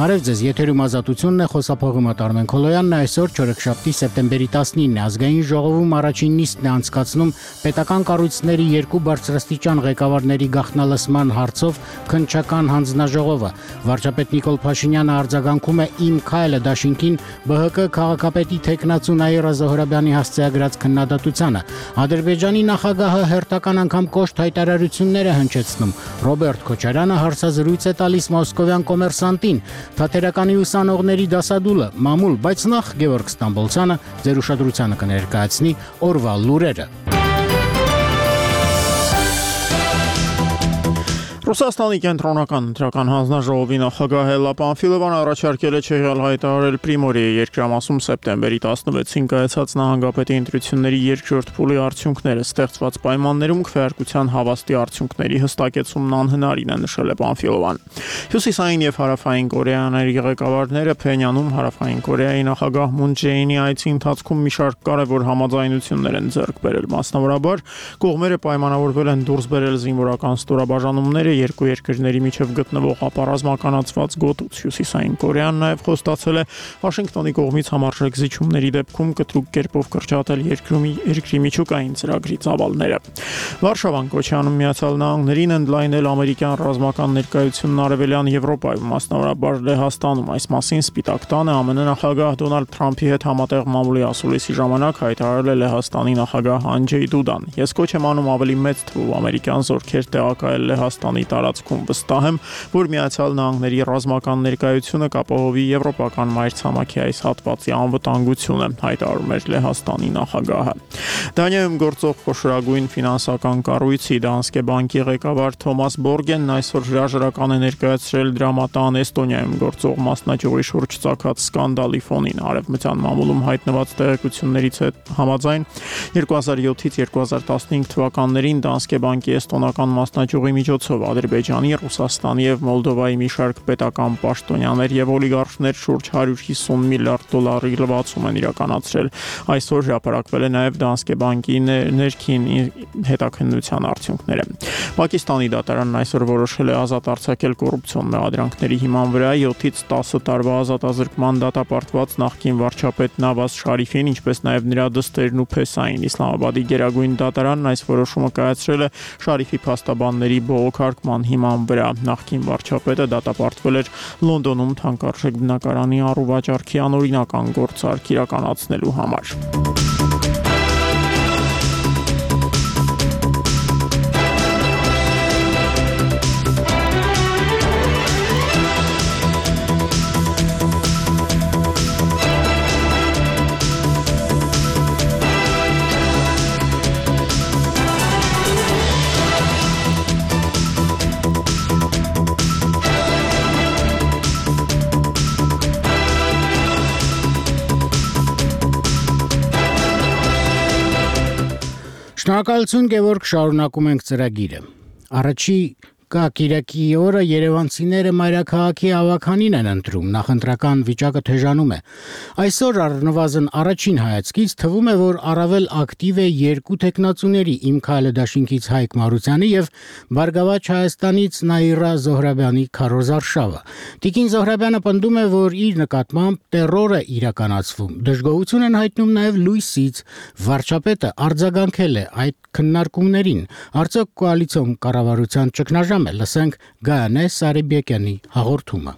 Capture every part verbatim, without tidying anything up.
Բարև ձեզ, եթերում ազատությունն է, խոսափողում Արմեն Քոլոյանն, այսօր չորեքշաբթի սեպտեմբերի տասնինն է, ազգային ժողովում առաջին նիստն է անցկացնում պետական կառույցների երկու բարձրաստիճան ղեկավարների գաղտնալսման հարցով քննչական հանձնաժողովը։ Վարչապետ Նիկոլ Փաշինյանը արձագանքում է «Իմ քայլը» դաշինքին ԲՀԿ քաղաքապետի թեկնածու Նաիրա Զոհրաբյանի հասցեագրած քննադատությանը։ Ադրբեջանի նախագահը հերթական անգամ կոշտ հայտարարություններ է հնչեցնում։ Ռոբերտ Քոչարյանը հարցազրույց է տալիս Մոսկովյան Կոմերսանտին։ Թատերականի ուսանողների դասադուլը մամուլ, բայց նախ Գևորգ Ստամբոլցյանը ձեր ուշադրությանը կներկայացնի օրվա լուրերը։ Ռուսաստանի կենտրոնական ընտրական հանձնաժողովի նախագահ Էլլա Պանֆիլովան առաջարկել է չեղյալ հայտարարել Պրիմորիայի երկրամասում սեպտեմբերի տասնվեցին կայացած նահանգապետի ընտրությունների երկրորդ փուլի արդյունքները ստեղծված պայմաններում քվեարկության հավաստի արդյունքների հստակեցումն անհնարին է, նշել է Պանֆիլովան։ Հյուսիսային եւ հարավային Կորեաների ղեկավարները Փենյանում հարավային Կորեայի նախագահ Մուն Ջեինի այցի ընթացքում մի շարք կարևոր համաձայնություններ են ձեռք բերել, մասնավորաբար կողմերը պայմանավորվել են դուրս բերել զինվորական ստորաբաժանումները երկու երկրների միջև գտնվող ապառազմականացված գոտուց։ Հյուսիսային Կորեան նաև խոստացել է Վաշինգտոնի կողմից համարժեք զիջումների դեպքում կտրուկ կերպով կրճատել երկրի երկրի միջուկային ծրագրի ծավալները։ Վարշավան Կոչյանում Միացյալ Նահանգներին ընդլայնել ամերիկյան ռազմական ներկայությունն արևելյան Եվրոպայում, մասնավորաբար Լեհաստանում։ Այս մասին Սպիտակ տանը ԱՄՆ նախագահ Դոնալդ Թրամփի հետ համատեղ մամուլի ասուլիսի ժամանակ հայտարարել է Լեհաստանի նախագահ Անջեյ Դուդան։ Ես կոչ եմ անում ավելի մեծ թվով ամերիկյան զորքեր տեղակայել Լեհաստանի տարածքում, վստահ եմ, որ Միացյալ Նահանգների ռազմական ներկայությունը կապահովի եվրոպական մայրցամաքի այս հատվածի անվտանգությունը, հայտարարում էր Լեհաստանի նախագահը։ Դանիայում գործող խոշորագույն ֆինանսական կառույցի Դանսկե բանկի ղեկավար Թոմաս Բորգենն այսօր հրաժարական է ներկայացրել դրամատան Էստոնիայում գործող մասնաճյուղի շուրջ ծագած սկանդալի ֆոնին։ Արևմտյան մամուլում հայտնված տեղեկություններից համաձայն երկու հազար յոթից երկու հազար տասնհինգ թվականներին Դանսկե բանկի էստոնական մասնաճյուղի միջոցով Ադրբեջանի, Ռուսաստանի եւ Մոլդովայի մի շարք պետական պաշտոնյաներ եւ օլիգարխներ շուրջ հարյուր հիսուն միլիարդ դոլարի լվացում են իրականացրել։ Այսօր հրապարակվել է նաեւ Դանսկե բանկի ներքին հետաքննության արդյունքները։ Պակիստանի դատարանն այսօր որոշել է ազատ արձակել կոռուպցիոն մեղադրանքների հիման վրա յոթից տասը տարվա ազատազրկման դատապարտված նախկին վարչապետ Նավազ Շարիֆին, ինչպես նաեւ նրա դստերն ու փեսային։ Իսլամաբադի գերագույն դատարանն այս որոշումը կայացրել է Շարիֆի փաստաբանների բողոքարկման հիման վրա։ Նախկին վարչապետը դատապարտվել էր Լոնդոնում թանկարժեք բնակարանի առուվաճառքի անօրինական գործարք իրականացնելու համար։ Շնորհակալություն Գևորգ, շարունակում ենք ծրագիրը։ Առաջի Կիրակի օրը երևանցիները մայրաքաղաքի ավականին են ընտրում, նախընտրական վիճակը թեժանում է։ Այսօր առնվազն առաջին հայացքից թվում է, որ առավել ակտիվ է երկու տեխնացուների՝ Իմ քայլը դաշինքից Հայկ Մարությանի եւ Բարգավաճ Հայաստանից Նաիրա Զոհրաբյանի քարոզարշավը։ Տիկին Զոհրաբյանը պնդում է, որ իր նկատմամբ տերոր է իրականացվում։ Դժգոհություն են հայտնում նաեւ լույսից։ Վարչապետը արձագանքել է այդ քննարկումներին։ Արդյոք կոալիցիոն կառավարության ճգնաժամ Լսենք Գայանե Սարիբեկյանի հաղորդումը։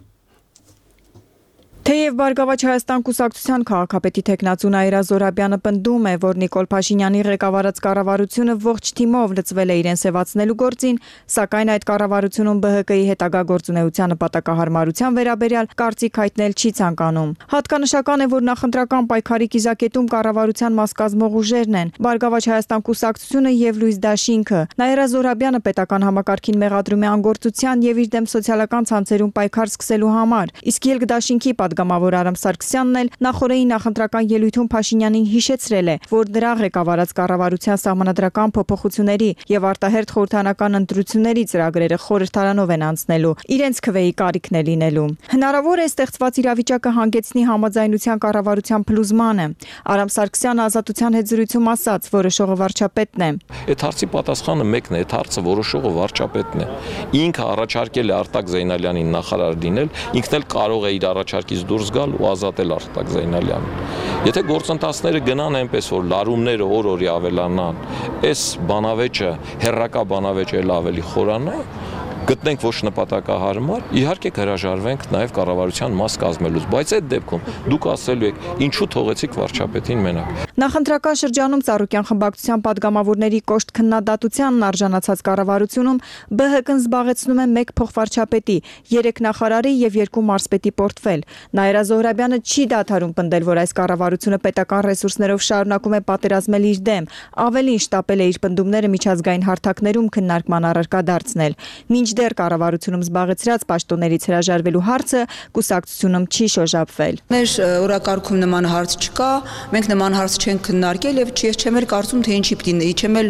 Թեև Բարգավաճ Հայաստան կուսակցության քաղաքապետի թեկնածու Նաիրա Զոհրաբյանը պնդում է, որ Նիկոլ Փաշինյանի ղեկավարած կառավարությունը ողջ թիմով լծվել է իրեն սևացնելու գործին, սակայն այդ կառավարությունում ԲՀԿ-ի հետագա գործունեության նպատակահարմարության վերաբերյալ կարծիք հայտնել չի ցանկանում։ Հատկանշական է, որ նախընտրական պայքարի կիզակետում կառավարության մաս կազմող ուժերն են՝ Բարգավաճ Հայաստան կուսակցությունը եւ Լույս Դաշինքը։ Նաիրա Զոհրաբյանը պետական համակարգին մեղադրում է անգործության եւ իր դեմ սոցիալական ցանցերում պայքար սկսելու համար, իսկ Ելք Դաշինքի падգամավոր Արամ Սարգսյանն էլ նախորդի նախընտրական ելույթում Փաշինյանին հիշեցրել է, որ դրա ղեկավարած կառավարության սահմանադրական փոփոխությունների եւ արտահերթ խորհրդարանական ընտրությունների ծրագրերը խորհրդարանով են անցնելու, իրենց քվեի կարիքն է լինելու։ Հնարավոր է ստեղծված իրավիճակը հանգեցնի համաձայնության կառավարության փլուզմանը։ Արամ Սարգսյանը Ազատության հետ զրույցում ասաց, որոշողը վարչապետն է։ Այդ հարցի պատասխանը մեկն է, այդ հարցը որոշողը վարչապետն է։ Ինքը առաջարկել է Արտակ Զեյնալյանին նախարար լինել, ինքն էլ կարող է իր առաջարկից դուրս գալ ու ազատել Արտակ Զեյնալյանին։ Եթե գործընթացները գնան այնպես, որ լարումները օր-օրի ավելանան, այս բանավեճը, հերրակա բանավեճը էլ ավելի խորանա, գտնենք ոչ նպատակահարմար, իհարկե կհրաժարվենք նաև կառավարության մաս կազմելուց, բայց այդ դեպքում դուք ասելու եք, ինչու թողեցիք վարչապետին մենակ։ Նախընտրական շրջանում Ծառուկյան խմբակցության падգամավորների կոշտ քննադատությանն արժանացած կառավարությունում Բ Հ Կ-ն զբաղեցնում է մեկ փոխվարչապետի, երեք նախարարի եւ երկու մարզպետի պորտֆել։ Նաիրա Զոհրաբյանը չի դադարում պնդել, որ այս կառավարությունը պետական ռեսուրսներով շարունակում է պատերազմել իր դեմ, ավելին շտապել է իր պնդումները միջազգային հարթակներում քննարկման առարկա դարձնել։ Մինչդեռ կառավարությունում զբաղեցրած պաշտոններից հրաժարվելու հարցը կուսակցությունում չի շոշափվել։ Մեր օրակարգում նման հարց չկա, մենք նման հարց չենք քննարկել եւ ես չեմ էլ կարծում թե ինչի պիտի, չեմ էլ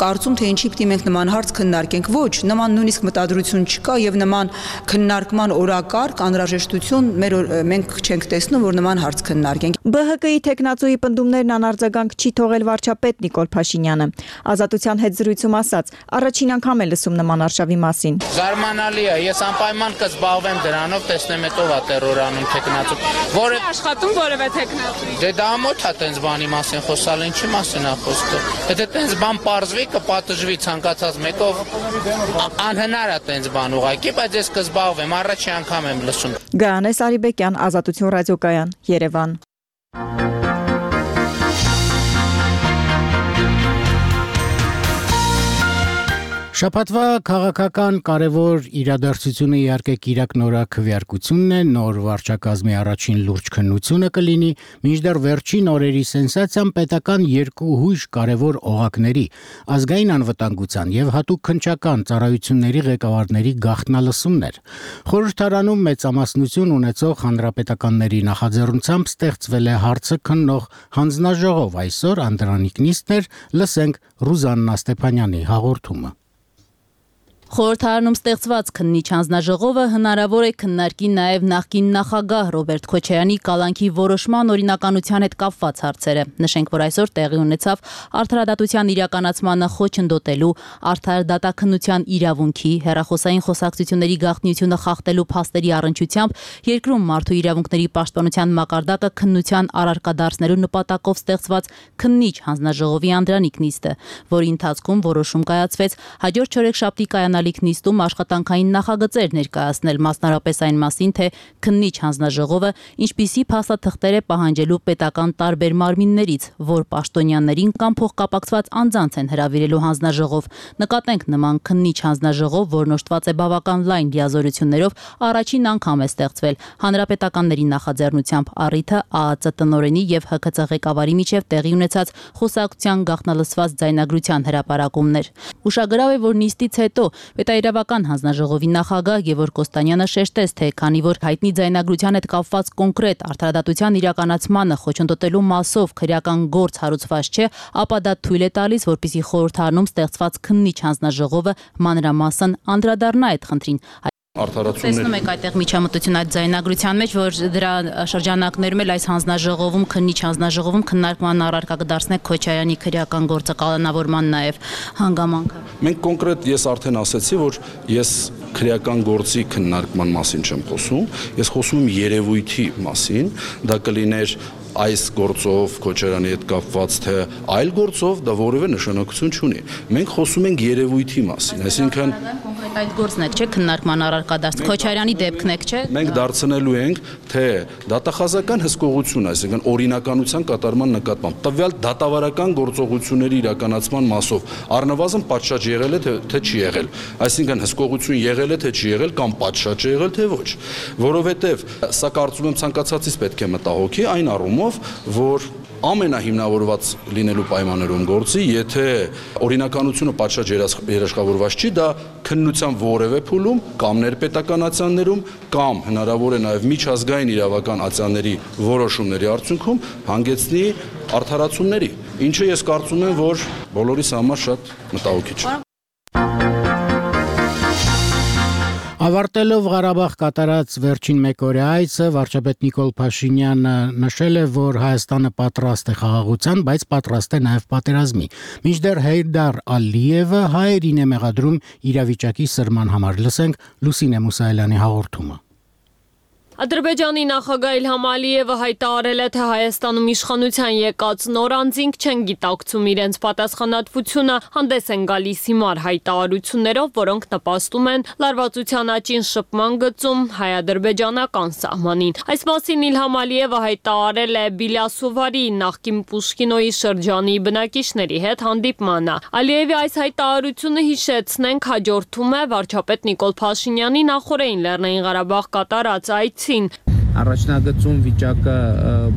կարծում թե ինչի պիտի մենք նման հարց քննարկենք։ Ոչ, նման նույնիսկ մտադրություն չկա եւ նման քննարկման օրակարգ, անհրաժեշտություն մեր մենք չենք տեսնում, որ նման հարց քննարկենք։ Բ Հ Կ-ի տեխնացուի պնդումներն անարձագանք չի թողել վարչապետ Նիկոլ Փաշինյանը։ Ազատության հետ զրույցում ասաց, առաջին անգամ է լսում նման արշավի մասին։ Զարմանալի է, ես անպայման կզբաղվեմ դրանով, տեսնեմ հետո ա տերորանում տեխնացու։ Որը աշխատում որևէ տեխնացու։ Դե դա ամոթ է տենց բանի մասին խոսալ, ինչի մասին է խոսքը։ Եթե տենց բան պարզվի, կպատժվի ցանկացած մեկով, անհնար է տենց բան ուղղակի, բայց ես կզբաղվեմ, առաջի անգամ եմ լսում։ Գայանե Սարիբեկյան, Ազատություն ռադիոկայան, Երևան։ Շաբաթվա քաղաքական կարևոր իրադարձությունը իհարկե Կիրակ նորաքվեարկությունն է, նոր վարչակազմի առաջին լուրջ քննությունը կլինի, մինչդեռ վերջին օրերի սենսացիան պետական երկու հույժ կարևոր օղակների, ազգային անվտանգության եւ հատուկ քննչական ծառայությունների ղեկավարների գաղտնալսումն էր։ Խորհրդարանում մեծամասնություն ունեցող հանրապետականների նախաձեռնությամբ ստեղծվել է հարցը քննող հանձնաժողով, այսօր Անդրանիկ Նիստներ, լսենք Ռուզաննա Ստեփանյանի հաղորդումը։ Խորհրդարանում ստեղծված քննիչ հանձնաժողովը հնարավոր է քննարկի նաև նախկին նախագահ Ռոբերտ Քոչարյանի կալանքի որոշման օրինականության հետ կապված հարցերը։ Նշենք, որ այսօր տեղի ունեցավ արդարադատության իրականացմանը խոչընդոտելու, արդար դատաքննության իրավունքի, հեռախոսային խոսակցությունների գաղտնիությունը խախտելու փաստերի առնչությամբ երկրում մարդու իրավունքների պաշտպանության մակարդակը քննության առարկա դարձնելու նպատակով ստեղծված քննիչ հանձնաժողովի Անդրանիկ Նիստը, որի ընթացքում որոշում կայացվեց հաջորդ չորեքշաբթի կայանալիք նիստում աշխատանքային նախագծեր ներկայացնել, մասնարապես այն մասին, թե քննիչ հանձնաժողովը ինչպիսի փաստաթղթեր է պահանջելու պետական տարբեր մարմիններից, որ պաշտոնյաներին կամ փոխկապակցված անձանց են հրավիրելու հանձնաժողով։ Նկատենք նման քննիչ հանձնաժողով, որն օժտված է բավական լայն լիազորություններով, առաջին անգամ է ստեղծվել հանրապետականների նախաձեռնությամբ առիթը Ա Ա Ծ տնօրենի եւ Հ K Ց ղեկավարի միջև տեղի ունեցած խոսակցության գաղտնալսված ձայնագրության հրապարակումներ։ Ուշագրավ է, որ նիստից հետո Պետաիրավական հանձնաժողովի նախագահ Գևորգ Կոստանյանը շեշտեց, թե քանի որ հայտնի ձայնագրության հետ կապված կոնկրետ արդարադատության իրականացմանը խոչընդոտելու մասով քրեական գործ հարուցված չէ, ապա դա թույլ է տալիս, որպեսզի խորհրդարանում ստեղծված քննիչ հանձնաժողովը մանրամասն անդրադառնա այդ խնդրին։ Տեսնում եք այդտեղ միջամտություն այդ ձայնագրության մեջ, որ դրա շրջանակներում էլ այս հանձնաժողովում, քննիչ հանձնաժողովում քննարկման առարկա կդարձնեք Քոչարյանի քրեական գործը կանոնավորման նաև հանգամանքը։ Մենք կոնկրետ ես արդեն ասացի, որ ես քրեական գործի քննարկման մասին չեմ խոսում, ես խոսում եմ երևույթի մասին, դա կլիներ այս գործով Քոչարյանի հետ կապված թե այլ գործով դա որևէ նշանակություն չունի։ Մենք խոսում ենք երևույթի մասին, այսինքն այդ գործն եք, չէ՞, քննարկման առարկա դարձ Քոչարյանի դեպքն եք, չէ՞։ Մենք դարձնելու ենք, թե դատախազական հսկողություն, այսինքն օրինականության կատարման նկատմամբ տվյալ դատավարական գործողությունների իրականացման մասով առնվազն պատշաճ եղել է թե չի եղել, այսինքն հսկողություն եղել է թե չի եղել կամ պատշաճ եղել թե ոչ, որովհետև սա կարծում եմ ցանկացածից պետք է մտահոգի այն առումով, որ ամենահիմնավորված լինելու պայմաններում գործի, եթե օրինականությունը պատշաճ երաշխավորված չի, դա քննության որևէ փուլում կամ ներպետական ատյաններում կամ հնարավոր է նաև միջազգային իրավական ատյանների որոշումների արդյունքում հանգեցնի արդարացումների, ինչը ես կարծում եմ, որ բոլորիս համար շատ մտահոգիչ է։ Ավարտելով Ղարաբաղ կատարած վերջին մեկօրյա այցը, վարչապետ Նիկոլ Փաշինյանը նշել է, որ Հայաստանը պատրաստ է խաղաղության, բայց պատրաստ է նաև պատերազմի։ Մինչդեռ Հեյդար Ալիևը հայերին է մեղադրում իրավիճակի սրման համար։ Լսենք Լուսինե Մուսայելյանի հաղորդումը։ Ադրբեջանի նախագահ Իլհամ Ալիևը հայտարարել է, թե Հայաստանում իշխանության եկած նոր անձինք չեն գիտակցում իրենց պատասխանատվությունը, հանդես են գալիս հիմար հայտարարություններով, որոնք նպաստում են լարվածության աճին շփման գծում հայ-ադրբեջանական սահմանին։ Այս մասին Իլհամ Ալիևը հայտարարել է Բիլասովարի նախկին Պուշկինոյի շրջանի բնակիչների հետ հանդիպմանը։ Ալիևի այս հայտարարությունը հիշեցնենք հաջորդում է վարչապետ Նիկոլ Փաշինյանի նախորդին Լեռնային Ղարաբաղ կատարած այցի Առաջնագծում վիճակը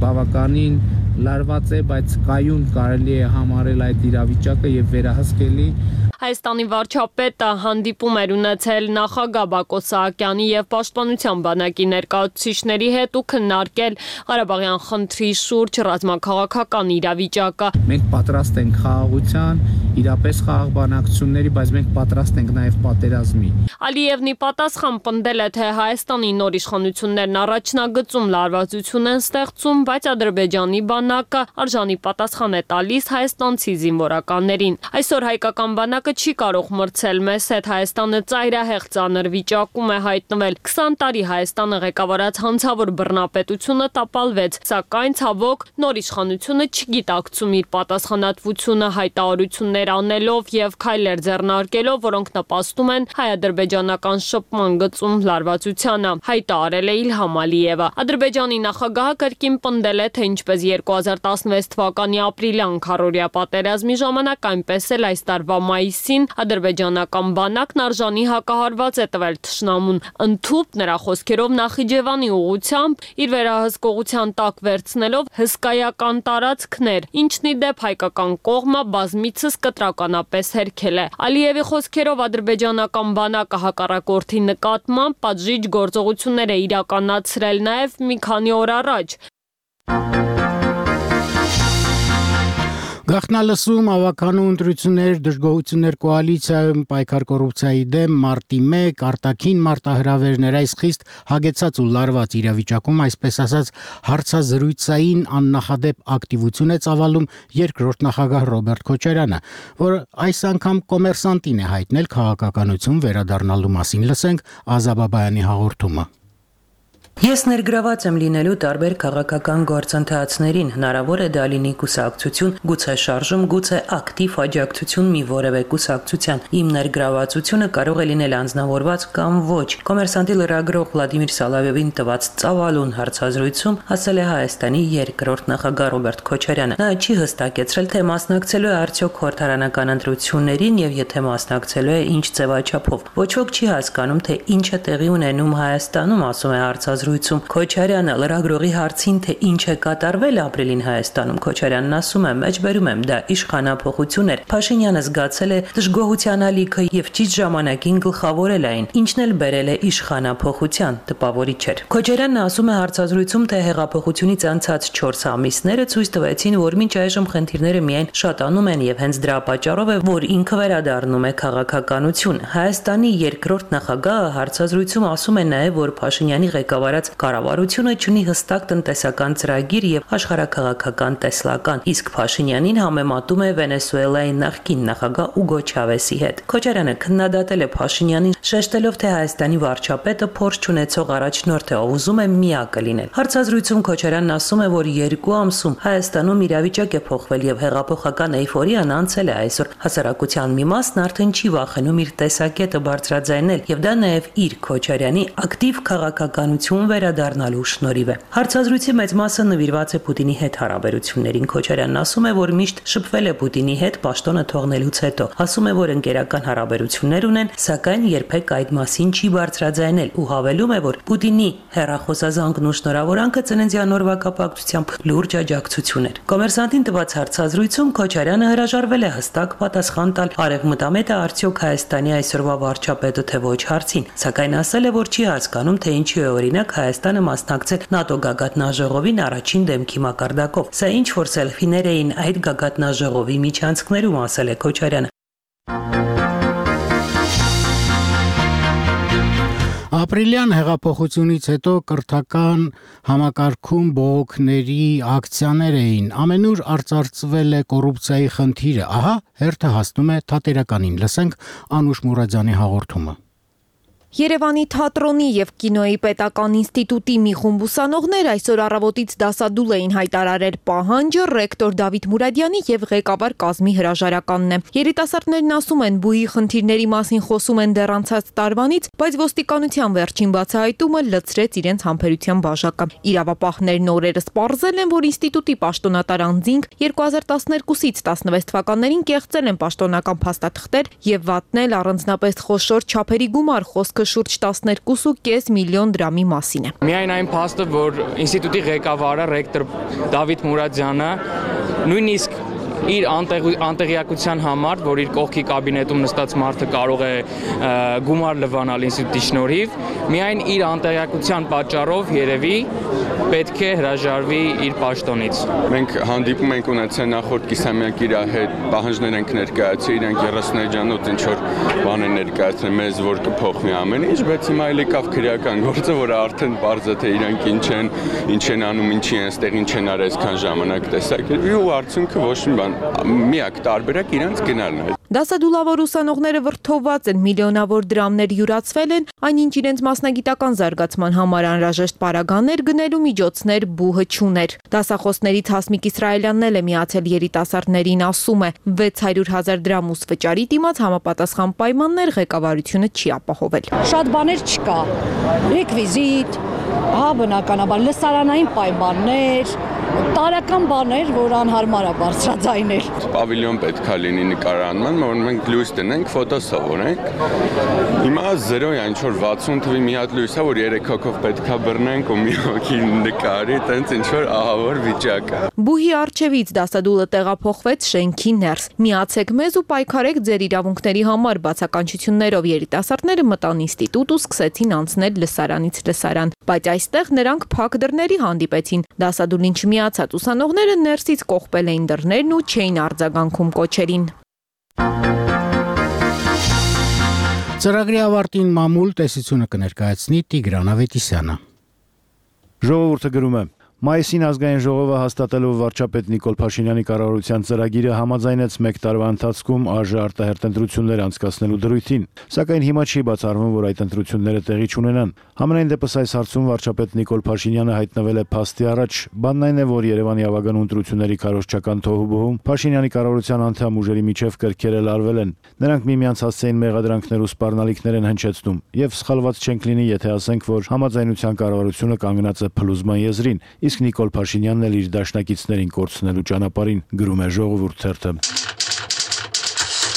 բավականին լարված է, բայց կայուն կարելի է համարել այդ իրավիճակը եւ վերահսկելի։ Հայաստանի վարչապետը հանդիպում էր ունեցել նախագահ Բակո Սահակյանի եւ Պաշտպանության բանակի ներկայացուցիչների հետ ու քննարկել Ղարաբաղյան խնդրի շուրջ ռազմաքաղաքական իրավիճակը։ Մենք պատրաստ ենք խաղաղության, իրապես խաղաղ բանակցությունների, բայց մենք պատրաստ ենք նաեւ պատերազմի։ Ալիևն ի պատասխան պնդել է, թե Հայաստանի նոր իշխանություններն առաջնագծում լարվածություն են ստեղծում, բայց Ադրբեջանի բանակը արժանի պատասխան է տալիս հայաստանցի զինվորականներին։ Այսօր հայկական բանակը չի կարող մրցել մեզ հետ, Հայաստանը ծայրահեղ ծանր վիճակում է հայտնվել։ քսան տարի Հայաստանը ղեկավարած հանցավոր բռնապետությունը տապալվեց, սակայն ցավոք նոր իշխանությունը չգիտակցում իր պատասխանատվությունը հայտարարություններ անելով եւ քայլեր ձեռնարկելով, որոնք նպաստում են հայ-ադրբեջանական շփման գծում լարվածությանը, հայտարարել է Իլհամ Ալիևը։ Ադրբեջանի նախագահը կրկին պնդել է, թե ինչպես երկու հազար տասնվեց թվականի ապրիլյան քառօրյա պատերազմի ժամանակ, այնպես էլ այս տարվա մայիսին ադրբեջանական բանակն արժանի հակահարված է տվել թշնամուն, ընդհուպ նրա խոսքերով Նախիջևանի ուղությամբ իր վերահսկողության տակ վերցնելով հսկայական տարածքներ, ինչն ի դեպ հայկական կողմը բազմիցս կտրականապես հերքել է։ Ալիևի խոսքերով ադրբեջանական բանակը հակառակորդի նկատմամբ պատժիչ գործողություններ է իրականացրել նաև մի քանի օր առաջ։ Գաղտնալսում ավականու ընտրություններ, դժգոհություններ կոալիցիայում պայքար կոռուպցիայի դեմ մարտի մեկ արտաքին մարտահրավերներ այս խիստ հագեցած ու լարված իրավիճակում, այսպես ասած, հարցազրույցային աննախադեպ ակտիվություն է ծավալում երկրորդ նախագահ Ռոբերտ Քոչարյանը, որ այս անգամ կոմերսանտին է հայտնել քաղաքականություն վերադառնալու մասին։ Լսենք Ազաբաբայանի հաղորդումը։ Ես ներգրաված եմ լինելու տարբեր քաղաքական գործընթացներին, հնարավոր է դա լինի կուսակցություն, գուցե շարժում, գուցե ակտիվ աջակցություն մի որևէ կուսակցության։ Իմ ներգրավվածությունը կարող է լինել անձնավորված կամ ոչ։ Կոմերսանտի լրագրող Վլադիմիր Սալավևին տված ծավալուն հարցազրույցում ասել է Հայաստանի երկրորդ նախագահ Ռոբերտ Քոչարյանը։ Նա չի հստակեցրել, թե մասնակցելու է արդյոք խորհրդարանական ընտրություններին եւ եթե մասնակցելու է, ինչ ձևաչափով։ Ոչ ոք չի հասկանում, թե ինչ է տեղի ունենում Հայաստանում, ասում է հարցազրույցում Քոչարյանը լրագրողի հարցին, թե ինչ է կատարվել ապրիլին Հայաստանում, Քոչարյանն ասում է. «Մեջբերում եմ, դա իշխանափոխություն էր։ Փաշինյանը զգացել է դժգոհության ալիքը եւ ճիշտ ժամանակին գլխավորել այն, ինչն էլ բերել է իշխանափոխության, տպավորիչ էր»։ Քոչարյանն ասում է հարցազրույցում, թե հեղափոխությունից անցած չորս ամիսները ցույց տվեցին, որ մինչ այժմ խնդիրները միայն շատանում են եւ հենց դրա պատճառով է, որ ինքը վերադառնում է քաղաքականություն։ Հայաստանի երկրորդ նախագահը հարցազրույցում ասում է նաեւ, որ Փաշինյանի ղեկավարած կառավարությունը ունի հստակ տնտեսական ծրագիր եւ աշխարհաքաղաքական տեսլական, իսկ Փաշինյանին համեմատում է Վենեսուելայի նախկին նախագահ Ուգո Չավեսի հետ։ Քոչարյանը քննադատել է Փաշինյանին, շեշտելով, թե Հայաստանի վարչապետը փորձ չունեցող առաջնորդ է, ով ուզում է միակը լինել։ Հարցազրույցում Քոչարյանն ասում է, որ երկու ամսում Հայաստանում իրավիճակ է փոխվել եւ հեղափոխական էյֆորիան անցել է այսօր։ Հասարակության մի մասն արդեն չի վախենում իր տեսակետը բարձրաձայնել եւ դա նաեւ իր Քոչարյանի ակտիվ քաղաքականություն Բաքուն վերադառնալու շնորհիվ է։ Հարցազրույցի մեծ մասը նվիրված է Պուտինի հետ հարաբերություններին։ Քոչարյանն ասում է, որ միշտ շփվել է Պուտինի հետ պաշտոնը թողնելուց հետո։ Ասում է, որ ընկերական հարաբերություններ ունեն, սակայն երբեք այդ մասին չի բարձրաձայնել ու հավելում է, որ Պուտինի հեռախոսազանգն ու շնորհավորանքը ծննդյան օրվա կապակցությամբ լուրջ աջակցություն էր։ Կոմերսանտին տված հարցազրույցում Քոչարյանը հրաժարվել է հստակ պատասխան տալ արևմտամետը արդյոք Հայաստանի այսօրվա վարչապետը թե ոչ հարցին, սակայն ասել է, որ չի հասկանում, թե ինչու է օրինակ Հայաստանը մասնակցել ՆԱՏՕ գագաթնաժողովին առաջին դեմքի մակարդակով։ Սա ինչ որ սելֆիներ էին այդ գագաթնաժողովի միջանցքներում, ասել է Քոչարյանը։ Ապրիլյան հեղափոխությունից հետո կրթական համակարգում բողոքների ակցիաներ էին, ամենուր արծարծվել է կոռուպցիայի խնդիրը, ահա հերթը հասնում է թատերականին, լսենք Անուշ Մուրադյանի հաղորդումը։ Երևանի թատրոնի եւ կինոյի պետական ինստիտուտի մի խումբ ուսանողներ այսօր առավոտից դասադուլ էին հայտարարել պահանջը ռեկտոր Դավիթ Մուրադյանի եւ ղեկավար Կազմի հրաժարականն է։ Երիտասարդներն ասում են, բուհի խնդիրների մասին խոսում են դեռ անցած տարվանից, բայց ոստիկանության վերջին բացահայտումը լցրեց իրենց համբերության բաժակը։ Իրավապահներն օրերս պարզել են, որ ինստիտուտի պաշտոնատար անձինք երկու հազար տասներկուսից տասնվեց թվականներին կեղծել են պաշտոնական փաստաթղթեր եւ վատնել առանձնապես խոշոր չափերի գումար, խոսքը շուրջ տասներկու կόμμα պենս միլիոն դրամի մասին է։ Միայն այն փաստը, որ ինստիտուտի ղեկավարը ռեկտոր Դավիթ Մուրադյանը նույնիսկ իր անտեղյակության համար, որ իր կողքի կաբինետում նստած մարդը կարող է գումար լվանալ ինստիտուտի շնորհիվ, միայն իր անտեղյակության պատճառով երևի պետք է հրաժարվի իր պաշտոնից։ Մենք հանդիպում ենք ունեցել նախորդ կիսամյակ իր հետ պահանջներ ենք ներկայացրել, իրանք երեսունեջանոց ինչ որ բան են ներկայացրել մեզ, որ կփոխվի ամեն ինչ, բայց հիմա էլ եկավ քրեական գործը, որը արդեն պարզ է, թե իրանք ինչ են, ինչ են անում, ինչի են ստեղ, ինչ են արել այսքան ժամանակ տեսակերպի ու արդյունքը ոչ մի բան միակ տարբերակ իրանց գնալն է։ Դասադուլավոր ուսանողները վրդովված են, միլիոնավոր դրամներ յուրացվել են, այնինչ իրենց մասնագիտական զարգացման համար անհրաժեշտ պարագաներ գնելու միջոցներ բուհը չուներ։ Դասախոսներից Հասմիկ Իսրայելյանն էլ է միացել երիտասարդներին, ասում է, վեց հարյուր հազար դրամ ուս վճարի դիմաց համապատասխան պայմաններ ղեկավարությունը չի ապահովել։ Շատ բաներ չկա։ Ռեկվիզիտ, հա բնականաբար լսարանային պայմաններ, տարական բաներ, որ անհարմար է բարձրաձայնել։ Պավիլիոն պետք է լինի նկարանման, որ մենք լույս տնենք, ֆոտո սովորենք։ Հիմա զերո է, ինչ որ վաթսուն թվի մի հատ լույս է, որ երեք հոգով պետք է բռնենք ու մի հոգի նկարի, տենց ինչ որ ահավոր վիճակ է։ Բուհի առջևից դասադուլը տեղափոխվեց շենքի ներս։ Միացեք մեզ ու պայքարեք ձեր իրավունքների համար, բացականչություններով երիտասարդները մտան ինստիտուտ ու սկսեցին անցնել լսարանից լսարան, բայց այստեղ նրանք փակ դռների հանդիպեցին։ Դասադուլին չմիացած ուսանողները ներսից կողպել էին դռներն ու չէին արձագանքում կոչերին։ Ծրագրի ավարտին մամուլ տեսությունը կներկայացնի Տիգրան Ավետիսյանը։ Ժողովուրդը գրում է. Մայիսին ազգային ժողովը հաստատելով վարչապետ Նիկոլ Փաշինյանի կառավարության ծրագիրը համաձայնեց մեկ տարվա ընթացքում ԱԺ արտահերտ ընտրություններ անցկացնելու դրույթին, սակայն հիմա չի բացառվում, որ այդ ընտրությունները տեղի չունենան։ Համենայն դեպս այս հարցում վարչապետ Նիկոլ Փաշինյանը հայտնվել է փաստի առաջ։ Բանն այն է, որ Երևանի ավագանու ընտրությունների քարոզչական թոհուբոհում Փաշինյանի կառավարության անդամ ուժերի միջև կրքերը լարվել են։ Նրանք միմյանց հասցեին մեղադրանքներ ու սպառնալիքներ են հնչեցնում, եւ սխալված չենք լինի, եթե ասենք, որ համաձայնության կառավարությունը կանգնած է փլուզման եզրին, իսկ Նիկոլ Փաշինյանն էլ իր դաշնակիցներին կորցնելու ճանապարհին, գրում է Ժողովուրդ թերթը։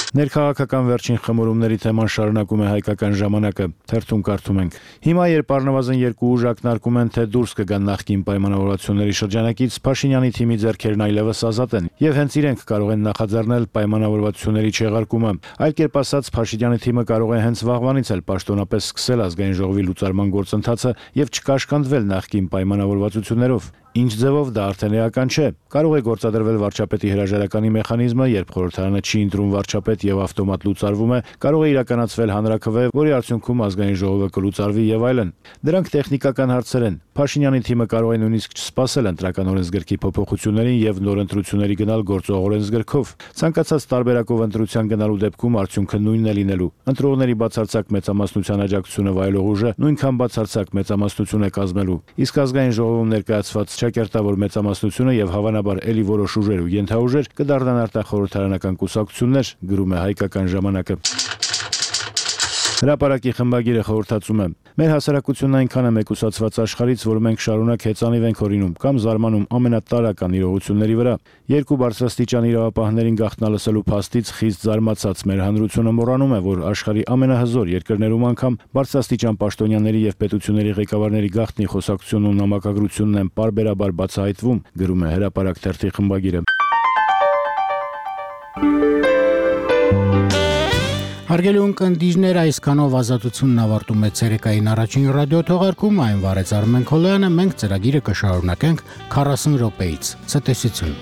Ներքաղաքական վերջին խմորումների թեման շարունակում է Հայկական ժամանակը, թերթում կարդում ենք. Հիմա երբ առնվազն երկու ուժ ակնարկում են, թե դուրս կգան նախկին պայմանավորվածությունների շրջանակից, Փաշինյանի թիմի ձեռքերն այլևս ազատ են, եւ հենց իրենք կարող են նախաձեռնել պայմանավորվածությունների չեղարկումը։ Այլ կերպ ասած, Փաշինյանի թիմը կարող է հենց վաղվանից էլ պաշտոնապես սկսել ազգային ժողովի լուծարման գործընթացը եւ չկաշկանդվել նախկին պայմանավորվածություններով։ Ինչ ձևով դա արդեն էական չէ։ Կարող է գործադրվել վարչապետի հրաժարականի մեխանիզմը, երբ խորհրդարանը չի ընտրում վարչապետ եւ ավտոմատ լուծարվում է, կարող է իրականացվել հանրաքվե, որի արդյունքում ազգային ժողովը կլուծարվի եւ այլն։ Դրանք տեխնիկական հարցեր են։ Փաշինյանի թիմը կարող է նույնիսկ չսպասել ընտրական օրենսգրքի փոփոխություններին եւ նոր ընտրությունների գնալ գործող օրենսգրքով։ Ցանկացած տարբերակով ընտրության գնալու դեպքում արդյունքը նույնն է լինելու։ Ընտրողների բացարձակ մեծամասնության աջակցությունը վայելող ուժը նույնքան բացարձակ մեծամասնություն է կազմելու։ Իսկ ազգային ժողովում ներկայացված ճակերտավոր մեծամասնությունը եւ հավանաբար ելի որոշ ուժեր ու ենթաուժեր կդառնան արտախորհրդարանական կուսակցություններ, գրում է Հայկական ժամանակը։ Հրապարակի խմբագիրը խորհրդածում է. Մեր հասարակությունն այնքան է մեկուսացված աշխարհից, որ մենք շարունակ հեծանիվ ենք օրինում կամ զարմանում ամենատարրական իրողությունների վրա։ Երկու բարձրաստիճան իրավապահներին գաղտնալսելու փաստից խիստ զարմացած մեր հանրությունը մոռանում է, որ աշխարհի ամենահզոր երկրներում անգամ բարձրաստիճան պաշտոնյաների եւ պետությունների ղեկավարների գաղտնի խոսակցությունն ու նամակագրությունն են պարբերաբար բացահայտվում, գրում է Հրապարակ թերթի խմբագիրը։ Հարգելի ունկնդիրներ, այսքանով ազատությունն ավարտում է ցերեկային առաջին ռադիոթողարկումը, այն վարեց Արմեն Քոլոյանը, մենք ծրագիրը կշարունակենք քառասուն րոպեից։ Ցտեսություն։